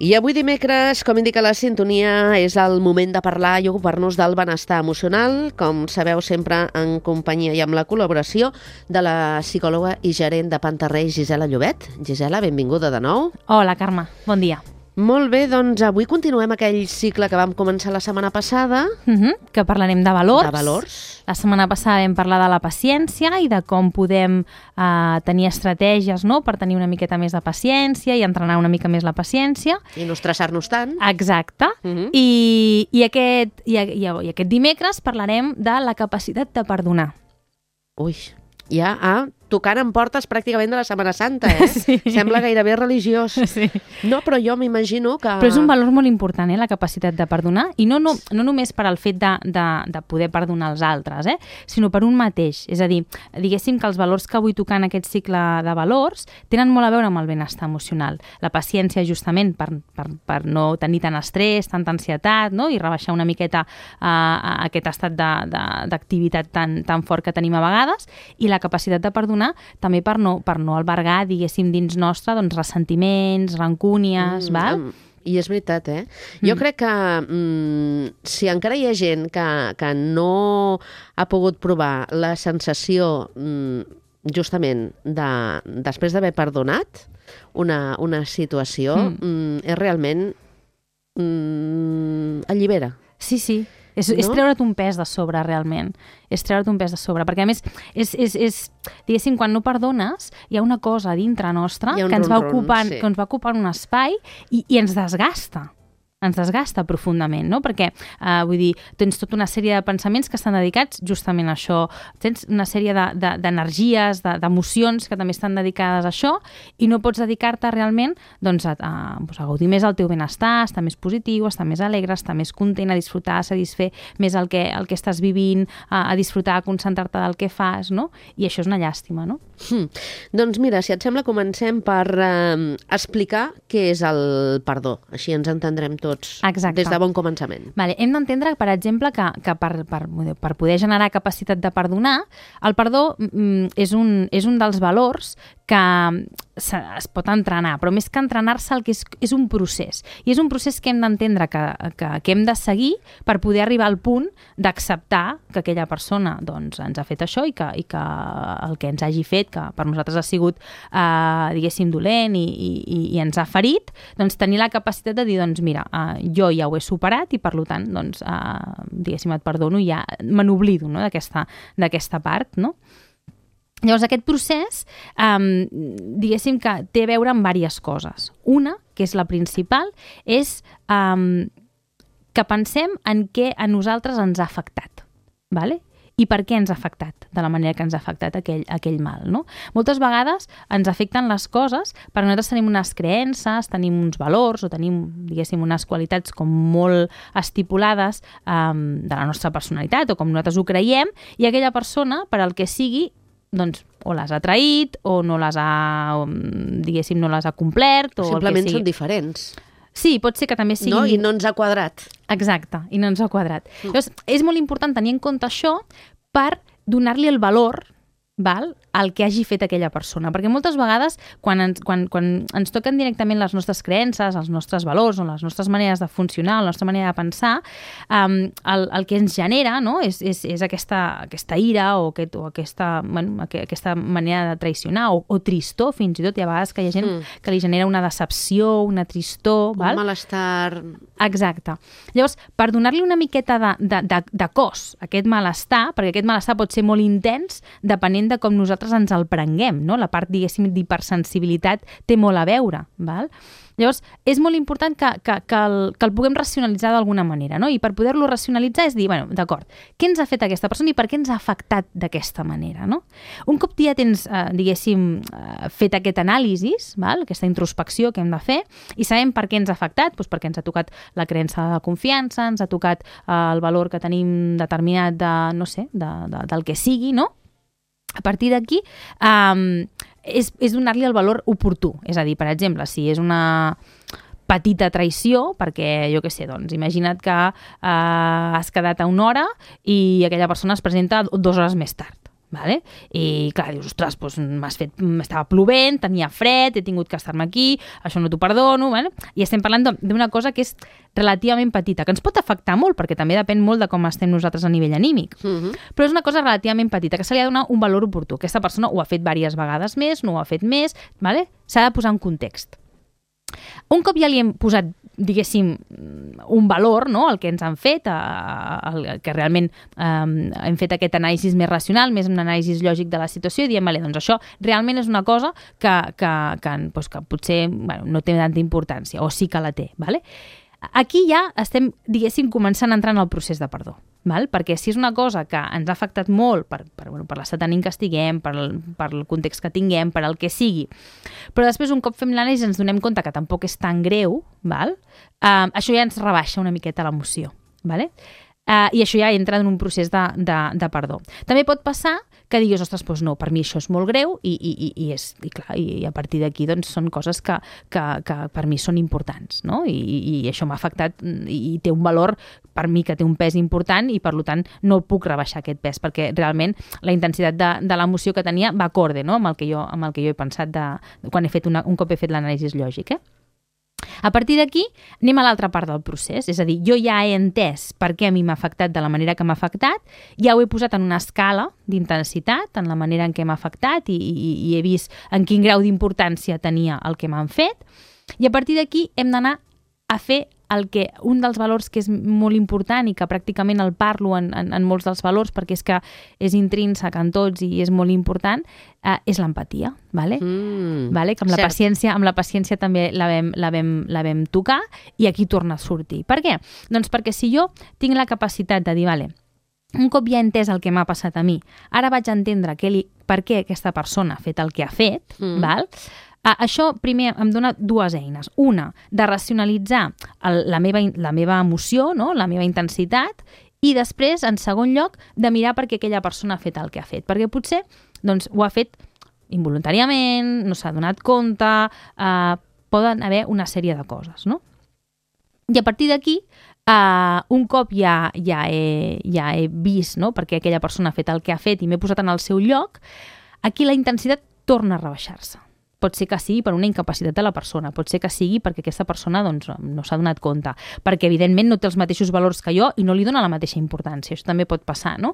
I avui dimecres, com indica la sintonia, és el moment de parlar i ocupar-nos del benestar emocional, com sabeu sempre en companyia i amb la col·laboració de la psicòloga i gerent de Pantarrey, Gisela Llobet. Gisela, benvinguda de nou. Hola, Carme, bon dia. Molt bé, doncs avui continuem aquell cicle que vam començar la setmana passada. Que parlarem de valors. De valors. La setmana passada vam parlar de la paciència i de com podem tenir estratègies, no?, per tenir una miqueta més de paciència i entrenar una mica més la paciència. I no estressar-nos tant. Exacte. I aquest dimecres parlarem de la capacitat de perdonar. Ui, ja tocant en portes pràcticament de la Setmana Santa, Sí. Sembla gairebé religiós. Sí. No, però jo m'imagino que... Però és un valor molt important, la capacitat de perdonar, i no només per al fet de poder perdonar els altres, sinó per un mateix. És a dir, diguéssim que els valors que vull tocar en aquest cicle de valors tenen molt a veure amb el benestar emocional. La paciència, justament, per no tenir tant estrès, tanta ansietat, no?, i rebaixar una miqueta aquest estat d'activitat tan fort que tenim a vegades, i la capacitat de perdonar també per no albergar, diguéssim, dins nostre, doncs, ressentiments, rancúnies, val? I és veritat, Jo crec que si encara hi ha gent que no ha pogut provar la sensació justament després d'haver perdonat una situació, és realment allibera. Sí. És treure't un pes de sobre, realment. És treure't un pes de sobre. Perquè, a més, diguéssim, quan no perdones, hi ha una cosa a dintre nostra que ens va ocupant un espai i ens desgasta. Ens desgasta profundament, no? Perquè, vull dir, tens tota una sèrie de pensaments que estan dedicats justament a això. Tens una sèrie d'energies, d'emocions que també estan dedicades a això i no pots dedicar-te realment doncs, a gaudir més del teu benestar, estar més positiu, estar més alegre, estar més content, a disfrutar, a satisfer més el que estàs vivint, a disfrutar, a concentrar-te del que fas, no? I això és una llàstima, no? Doncs mira, si et sembla, comencem per explicar què és el perdó. Així ens entendrem tots. Exacte. Des de bon començament. Vale. Hem d'entendre, per exemple, que per poder generar capacitat de perdonar, el perdó és un dels valors que es pot entrenar, però més que entrenar-se el que és un procés. I és un procés que hem d'entendre que hem de seguir per poder arribar al punt d'acceptar que aquella persona doncs, ens ha fet això i que el que ens hagi fet, que per nosaltres ha sigut, diguéssim, dolent i ens ha ferit, doncs tenir la capacitat de dir, doncs mira, jo ja ho he superat i per tant, doncs, diguéssim, et perdono i ja me n'oblido, no?, d'aquesta part, no? Llavors, aquest procés, diguéssim que té a veure amb diverses coses. Una, que és la principal, és que pensem en què a nosaltres ens ha afectat, ¿vale? I per què ens ha afectat de la manera que ens ha afectat aquell mal, no? Moltes vegades ens afecten les coses perquè nosaltres tenim unes creences, tenim uns valors o tenim, diguéssim, unes qualitats com molt estipulades de la nostra personalitat o com nosaltres ho creiem, i aquella persona, per al que sigui, doncs, o les ha traït o no les ha, diguéssim, no les ha complert. O simplement el que sigui. Són diferents. Sí, pot ser que també siguin... No? I no ens ha quadrat. Exacte, i no ens ha quadrat. Llavors, és molt important tenir en compte això per donar-li el valor, val, al que hagi fet aquella persona. Perquè moltes vegades, quan ens toquen directament les nostres creences, els nostres valors o les nostres maneres de funcionar, la nostra manera de pensar, el que ens genera, no?, és aquesta ira o aquesta manera de traicionar o tristor, fins i tot. Hi ha vegades que hi ha gent que li genera una decepció, una tristor. Un malestar... Exacte. Llavors, per donar-li una miqueta de cos a aquest malestar, perquè aquest malestar pot ser molt intens depenent de com nosaltres ens el prenguem, no? La part, diguéssim, d'hipersensibilitat té molt a veure, val? Llavors, és molt important que el puguem racionalitzar d'alguna manera, no? I per poder-lo racionalitzar és dir, bueno, d'acord, què ens ha fet aquesta persona i per què ens ha afectat d'aquesta manera, no? Un cop ja tens, diguéssim, fet aquest anàlisi, val? Aquesta introspecció que hem de fer, i sabem per què ens ha afectat, doncs perquè ens ha tocat la creença de confiança, ens ha tocat el valor que tenim determinat del que sigui, no? A partir d'aquí, és donar-li el valor oportú. És a dir, per exemple, si és una petita traïció, perquè, jo què sé, doncs, imagina't que has quedat a una hora i aquella persona es presenta 2 hores més tard. Vale? I clar, dius, ostres, doncs estava plovent, tenia fred, he tingut que estar-me aquí, això no t'ho perdono, vale? I estem parlant d'una cosa que és relativament petita, que ens pot afectar molt, perquè també depèn molt de com estem nosaltres a nivell anímic, però és una cosa relativament petita, que se li ha de donar un valor oportú. Aquesta persona ho ha fet diverses vegades més, no ho ha fet més, vale? S'ha de posar en context. Un cop ja li hem posat, diguéssim, un valor, no?, el que ens han fet, que realment hem fet aquest anàlisi més racional, més un anàlisi lògic de la situació, i diem, vale, doncs això realment és una cosa que potser no té tanta importància, o sí que la té. Vale? Aquí ja estem, diguéssim, començant a entrar en el procés de perdó. Val? Perquè si és una cosa que ens ha afectat molt per l'estat ànim que estiguem, per el context que tinguem, per el que sigui, però després un cop fem l'anàlisi ens donem compte que tampoc és tan greu, val? Això ja ens rebaixa una miqueta l'emoció. Vale? I això ja entra en un procés de perdó. També pot passar que diguis, ostres, doncs no, per mi això és molt greu i a partir d'aquí doncs, són coses que per mi són importants, no? I això m'ha afectat i té un valor per mi que té un pes important i per tant no puc rebaixar aquest pes perquè realment la intensitat de l'emoció que tenia va acorde, no?, amb el que jo he pensat quan un cop he fet l'anàlisi lògic. A partir d'aquí anem a l'altra part del procés, és a dir, jo ja he entès per què a mi m'ha afectat de la manera que m'ha afectat, ja ho he posat en una escala d'intensitat, en la manera en què m'ha afectat i he vist en quin grau d'importància tenia el que m'han fet, i a partir d'aquí hem d'anar a fer un dels valors que és molt important i que pràcticament el parlo en molts dels valors perquè és que és intrínsec en tots i és molt important, és l'empatia, vale? Vale? Que amb la paciència també la vam tocar i aquí torna a sortir. Per què? Doncs perquè si jo tinc la capacitat de dir, vale, un cop ja he entès el que m'ha passat a mi, ara vaig entendre per què aquesta persona ha fet el que ha fet, val? Això primer em dona dues eines. Una, de racionalitzar la meva emoció, no?, la meva intensitat, i després, en segon lloc, de mirar per què aquella persona ha fet el que ha fet. Perquè potser doncs, ho ha fet involuntàriament, no s'ha donat compte, poden haver una sèrie de coses, no? I a partir d'aquí, un cop ja he vist, no?, perquè aquella persona ha fet el que ha fet i m'he posat en el seu lloc, aquí la intensitat torna a rebaixar-se. Pot ser que sigui per una incapacitat de la persona, pot ser que sigui perquè aquesta persona doncs, no s'ha donat compte, perquè evidentment no té els mateixos valors que jo i no li dona la mateixa importància. Això també pot passar, no?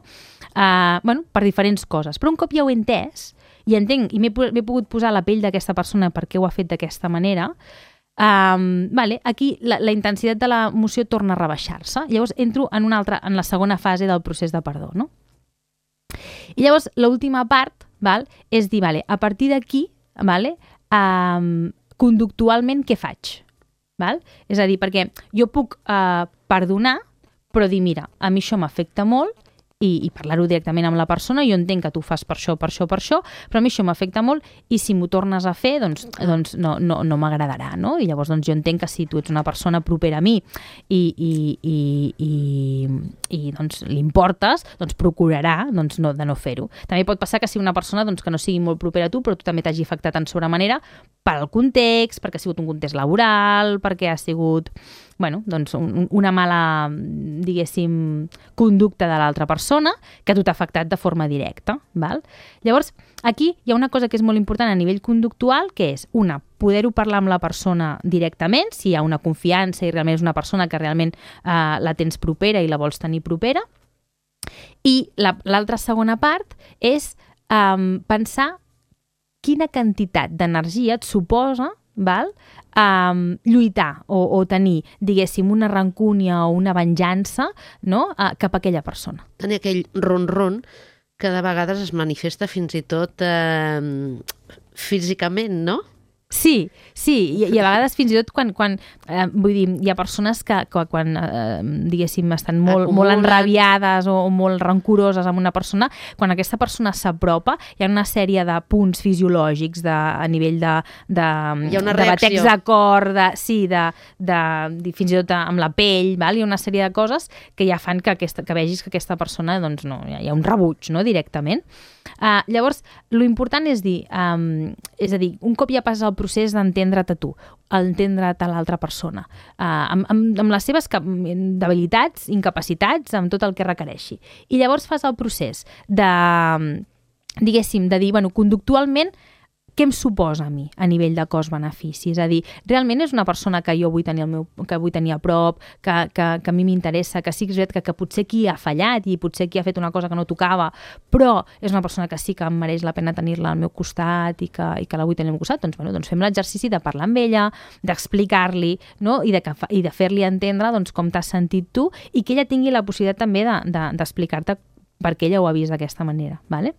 Per diferents coses. Però un cop ja ho he entès i entenc i m'he pogut posar a la pell d'aquesta persona per què ho ha fet d'aquesta manera, aquí la intensitat de l'emoció torna a rebaixar-se. Llavors entro en la segona fase del procés de perdó, no? I llavors l'última part és dir, a partir d'aquí, conductualment què faig? És a dir, perquè jo puc perdonar, però dir, mira, a mi això m'afecta molt i parlar-ho directament amb la persona, jo entenc que tu fas per això, però a mi això m'afecta molt i si m'ho tornes a fer, doncs no m'agradarà, no? I llavors jo entenc que si tu ets una persona propera a mi i doncs li importes, doncs procurarà de no fer-ho. També pot passar que sigui una persona que no sigui molt propera a tu, però tu també t'hagi afectat en sobremanera pel context, perquè ha sigut un context laboral, perquè ha sigut una mala, diguéssim, conducta de l'altra persona que a tu t'ha afectat de forma directa. Val? Llavors, aquí hi ha una cosa que és molt important a nivell conductual, que és, poder-ho parlar amb la persona directament, si hi ha una confiança i realment és una persona que realment la tens propera i la vols tenir propera. I l'altra segona part és pensar quina quantitat d'energia et suposa lluitar o tenir, diguéssim, una rancúnia o una venjança, no?, cap a aquella persona. Tenir aquell ron-ron que de vegades es manifesta fins i tot físicament, no? Sí, i a vegades fins i tot quan vull dir, hi ha persones que quan, diguéssim, estan molt enrabiades o molt rancoroses amb una persona, quan aquesta persona s'apropa, hi ha una sèrie de punts fisiològics a nivell de batecs de cor, fins i tot amb la pell, hi ha una sèrie de coses que ja fan que vegis que aquesta persona, doncs no, hi ha un rebuig, no?, directament. Llavors, l'important és dir, un cop ja passes el procés d'entendre't a tu, entendre't a l'altra persona, amb les seves debilitats, incapacitats, amb tot el que requereixi. I llavors fas el procés de diguéssim, de dir, bueno, conductualment, què em suposa a mi a nivell de cost-benefici? És a dir, realment és una persona que jo vull tenir, que vull tenir a prop, que a mi m'interessa, que sí que és veritat que potser qui ha fallat i potser qui ha fet una cosa que no tocava, però és una persona que sí que em mereix la pena tenir-la al meu costat i que la vull tenir al meu costat, doncs, bueno, doncs fem l'exercici de parlar amb ella, d'explicar-li, no? I de fer-li entendre doncs, com t'has sentit tu i que ella tingui la possibilitat també d'explicar-te per què ella ho ha vist d'aquesta manera, ¿vale?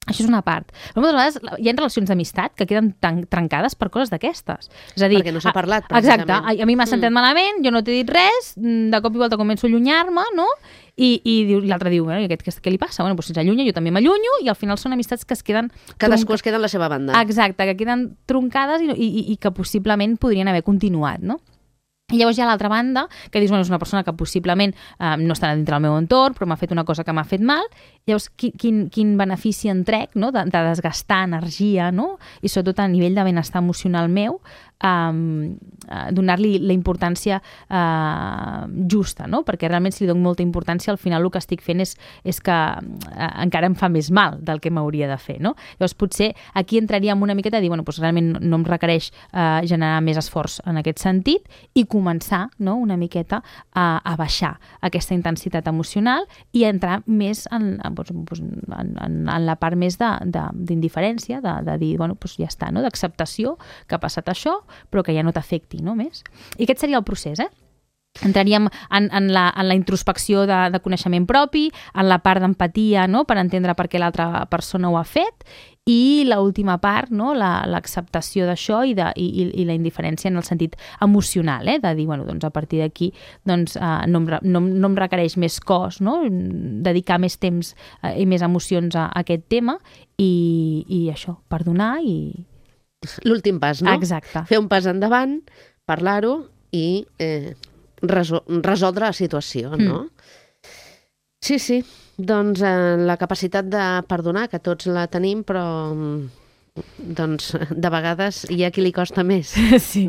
Això és una part. Però moltes vegades hi ha relacions d'amistat que queden trencades per coses d'aquestes. És a dir, perquè no s'ha parlat, precisament. Exacte. A mi m'ha sentit malament, jo no t'he dit res, de cop i volta començo a allunyar-me, no? I l'altre diu, bueno, i aquest què li passa? Bueno, doncs si s'allunya, jo també m'allunyo, i al final són amistats que es queden... Cadascú es queda en la seva banda. Exacte, que queden troncades i que possiblement podrien haver continuat, no? I llavors hi ha l'altra banda, que dius, bueno, és una persona que possiblement no està dintre del meu entorn, però m'ha fet una cosa que m'ha fet mal. Llavors, quin benefici en trec, no? de desgastar energia, no? I sobretot a nivell de benestar emocional meu, donar-li la importància justa, no? Perquè realment si li dono molta importància, al final el que estic fent és que encara em fa més mal del que m'hauria de fer, no? Llavors potser aquí entraríem una miqueta a dir, bueno, doncs realment no em requereix generar més esforç en aquest sentit i començar, no?, una miqueta a baixar aquesta intensitat emocional i entrar més en la part més d'indiferència, de dir, bueno, doncs ja està, no?, d'acceptació que ha passat això, però que ja no t'afecti, no?, més. I aquest seria el procés, Entraríem en la introspecció de coneixement propi, en la part d'empatia, no?, per entendre per què l'altra persona ho ha fet, i l'última part, no?, l'acceptació d'això i la indiferència en el sentit emocional, de dir, bueno, doncs a partir d'aquí doncs, no em requereix més cos, no?, dedicar més temps i més emocions a aquest tema i això, perdonar i... L'últim pas, no? Exacte. Fer un pas endavant, parlar-ho i... resoldre la situació, no? Sí. Doncs la capacitat de perdonar, que tots la tenim, però doncs de vegades hi ha qui li costa més,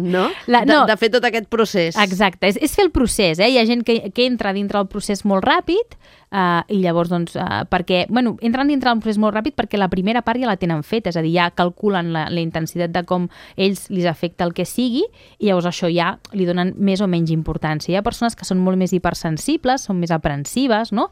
no? De fer tot aquest procés. Exacte, és fer el procés, Hi ha gent que entra dintre el procés molt ràpid i llavors, doncs, perquè, bueno, entren dintre del procés molt ràpid perquè la primera part ja la tenen feta, és a dir, ja calculen la intensitat de com ells li afecta el que sigui i llavors això ja li donen més o menys importància. Hi ha persones que són molt més hipersensibles, són més aprensives, no?,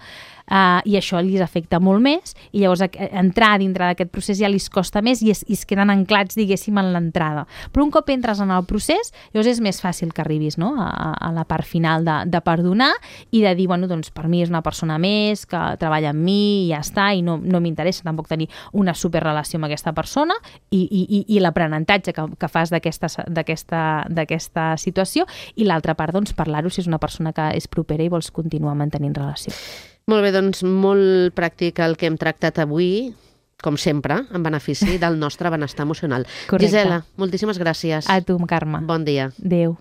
i això li afecta molt més i llavors entrar dintre d'aquest procés ja li costa més i es queden anclats, diguéssim, en l'entrada. Però un cop entres en el procés, llavors és més fàcil que arribis, no?, a la part final de perdonar i de dir, bueno, doncs per mi és una persona més que treballa amb mi i ja està, i no m'interessa tampoc tenir una superrelació amb aquesta persona i l'aprenentatge que fas d'aquesta situació, i l'altra part, doncs, parlar-ho si és una persona que és propera i vols continuar mantenint relació. Molt bé, doncs molt pràctic el que hem tractat avui, com sempre, en benefici del nostre benestar emocional. Correcte. Gisela, moltíssimes gràcies. A tu, Carme. Bon dia. Adéu.